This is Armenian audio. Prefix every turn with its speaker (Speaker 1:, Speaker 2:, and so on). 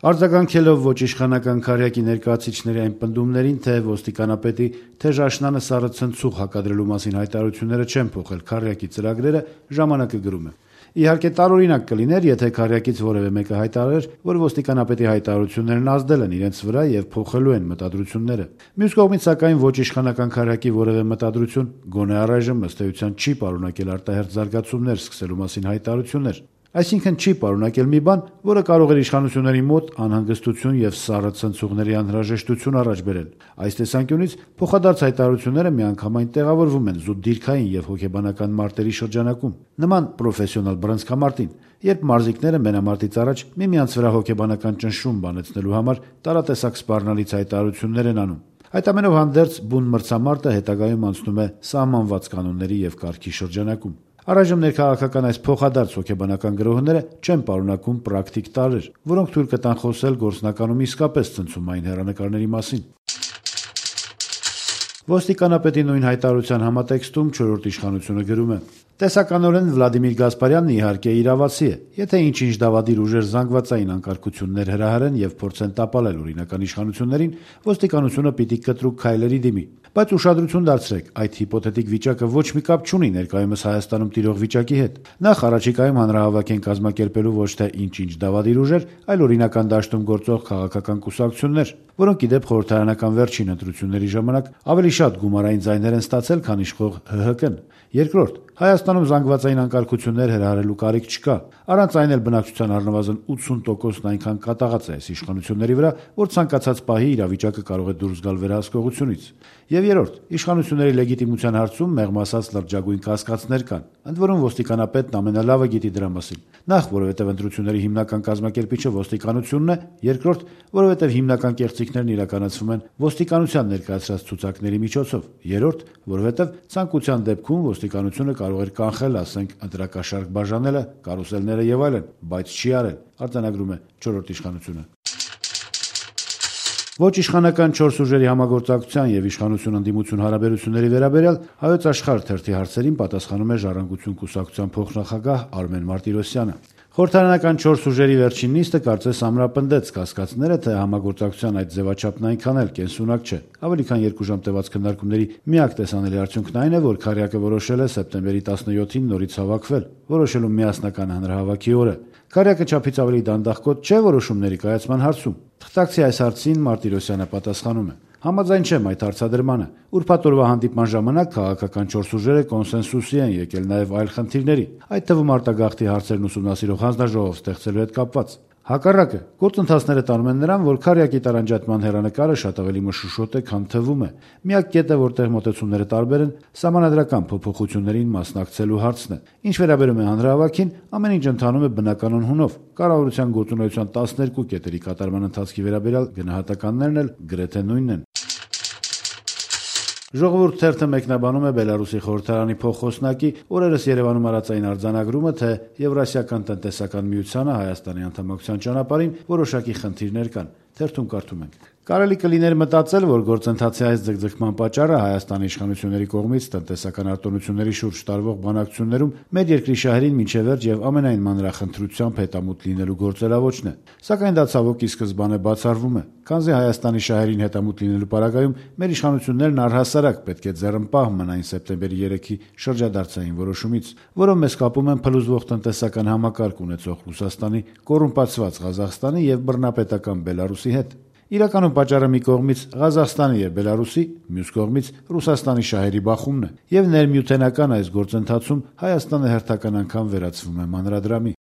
Speaker 1: Արձագանքելով ոչ իշխանական քարյակի ներկայացուցիչների այն պնդումներին, թե ոստիկանապետի թեժ աշնանը սառը ցնցուղ հակադրելու մասին հայտարարությունները չեն փոխել քարյակի ծրագրերը, «Ժամանակ»-ը գրում է. Իհարկե տարօրինակ կլիներ, եթե քարյակից որևէ մեկը հայտարարեր, որ ոստիկանապետի հայտարարություններն ազդել են իրենց վրա եւ փոխելու են մտադրությունները։ Մյուս կողմից, սակայն, ոչ իշխանական քարյակի որևէ մտադրություն գոնե առայժմ ըստ էության չի պարունակել արտահերթ զարգացումներ սկսելու մասին հայտարարություններ։ Այսինքն չի պարունակել մի բան, որը կարող էր իշխանությունների մոտ անհանգստություն եւ սառը ցնցուղների անհրաժեշտություն առաջ բերել։ Այս տեսանկյունից փոխադարձ հայտարարությունները միանգամայն տեղավորվում են զուտ դիրքային եւ հոգեբանական մարտերի շրջանակում, նման պրոֆեսիոնալ բռնցքամարտին, երբ մարզիկները մենամարտից առաջ միմյանց վրա հոգեբանական ճնշում բանեցնելու համար տարատեսակ սպառնալից հայտարարություններ են անում։ Այդ ամենով հանդերձ բուն մրցամարտը հետագայում անցնում է սահմանված կանոնների եւ կարգի շրջանակում։ Առայժմ ներքաղաքական այս փոխադարձ հոգեբանական գրոհները չեն պարունակում պրակտիկ տարրեր, որոնք թույլ կտան խոսել գործնականում իսկապես ցնցումային հեռանկարների մասին։ Ոստիկանապետի նույն հայտարարության համատեքստում չորրորդ իշխանությունը գրում է. Տեսականորեն Վլադիմիր Գասպարյանն իհարկե իրավացի է, եթե ինչ-ինչ դավադիր ուժեր զանգվածային անկարգություններ հրահրեն եւ փորձեն տապալել օրինական իշխանություններին, ոստիկանությունը պիտի կտրուկ քայլերի դիմի։ Բայց ուշադրություն դարձրեք, այդ հիպոթետիկ վիճակը ոչ մի կապ չունի ներկայումս Հայաստանում տիրող վիճակի հետ։ Նախ առաջիկայում հանրահավաք են կազմակերպելու ոչ թե ինչ-ինչ դավադիր ուժեր, այլ օրինական դաշտում գործող քաղաքական կուսակցություններ, որոնք ի դեպ խորհրդարանական վերջին ընտրությունների ժամանակ ավելի շատ գումարային ձայներ են ստացել, քան իշխող ՀՀԿ-ն։ Երկրորդ, Հայաստանում զանգվածային անկարգություններ հրահրելու կարիք չկա։ Առանց այն էլ բնակչության առնվազն 80%-ն այնքան կատաղած է այս իշխանությունների վրա, որ ցանկացած պահի իրավիճակը կարող է դուրս գալ վերահսկողությունից։ Եվ երրորդ, իշխանությունների լեգիտիմության հարցում մեղմ ասած լրջագույն կասկածներ կան, ընդ որում ոստիկանապետն ամենալավը գիտի դրա մասին։ Նախ, որովհետև ընտրությունների հիմնական կազմակերպիչը ոստիկանությունն է, երկրորդ, որովհետև հիմնական կեղծիքներն իրականացվում են ոստիկանության ներկայացրած ցուցակների միջոցով, երրորդ, որովհետև ցանկության դեպքում ոստիկանությունը կարող էր կանխել, ասենք, ընտրակաշառք բաժանելը, կարուսելները եւ այլն, բայց չի արել, արձանագրում է չորրորդ իշխանությունը։ Ոչ իշխանական 4 ուժերի համագործակցության եւ իշխանություն ընդդիմություն հարաբերությունների վերաբերյալ Հայոց Աշխարհ թերթի հարցերին պատասխանում է Ժառանգություն կուսակցության փոխնախագահ Արմեն Մարտիրոսյանը։ Խորհրդարանական 4 ուժերի վերջին նիստը կարծես ամրապնդեց կասկածները, թե համագործակցության այդ ձևաչափն այնքան էլ կենսունակ չէ։ Ավելի քան 2 ժամ տևած քննարկումների միակ տեսանելի արդյունքն այն է, որ քարյակը որոշել է սեպտեմբերի 17-ին նորից հավաքվել, որոշելու միասնական հանրահավաքի օրը։ Քարյակը չափից ավելի դանդաղկոտ չէ որոշումների կայացման հարցում։ Թղթակցի այս հարցին Մարտիրոսյանը պատասխանում է. Համաձայն չեմ այդ հարցադրմանը։ Ուրբաթ օրվա հանդիպման ժամանակ քաղաքական 4 ուժերը կոնսենսուսի են եկել նաև այլ խնդիրների, այդ թվում արտագաղթի հարցերն ուսումնասիրող հանձնաժողով ստեղծելու հետ կապված։ Հակառակը, գործընթացները տանում են նրան, որ քարյակի տարանջատման հեռանկարը շատ ավելի մշուշոտ է, քան թվում է։ Միակ կետը, որտեղ մոտեցումները տարբեր են, սահմանադրական փոփոխություններին մասնակցելու հարցն է։ Ինչ վերաբերում է հանրահավաքին, ամեն ինչ ընթանում է բնականon հունով։ Կառավարության գործունեության 12 կետերի կատարման ընթացքի վերաբերյալ գնահատականներն էլ գրեթե նույնն են։ Ժողովուրդ թերթը մեկնաբանում է Բելարուսի խորհրդարանի փոխխոսնակի օրերս Երևանում արածային արձանագրումը, թե Եվրասիական տնտեսական միությանը Հայաստանի անդամակցության ճանապարհին որոշակի խնդիրներ կան։ Թերթում կարդում ենք. Կարելի կլիներ մտածել, որ գործընթացի այս ձգձգման պատճառը Հայաստանի իշխանությունների կողմից տնտեսական արտոնությունների շուրջ տարվող բանակցություններում մեր երկրի շահերին մինչև վերջ եւ ամենայն մանրախնդրությամբ հետամուտ լինելու գործելավոճն է։ Սակայն դա ցավոք ի սկզբանե բացառվում է, քանզի Հայաստանի շահերին հետամուտ լինելու պարագայում մեր իշխանություններն առհասարակ պետք է ձեռնպահ մնային սեպտեմբերի 3-ի շրջադարձային որոշումից, որով մեզ կապում են փլուզվող տնտեսական համակարգ ունեցող Ռուսաստանի, կոռումպացված Ղազախստանի եւ բռնապետական Բելարուսի հետ։ Իրականում պատճառը մի կողմից Ղազախստանի եւ Բելարուսի, մյուս կողմից Ռուսաստանի շահերի բախումն է, եւ ներմյութենական այս գործընթացում Հայաստանը հերթական անգամ վերածվում է մանրադրամի։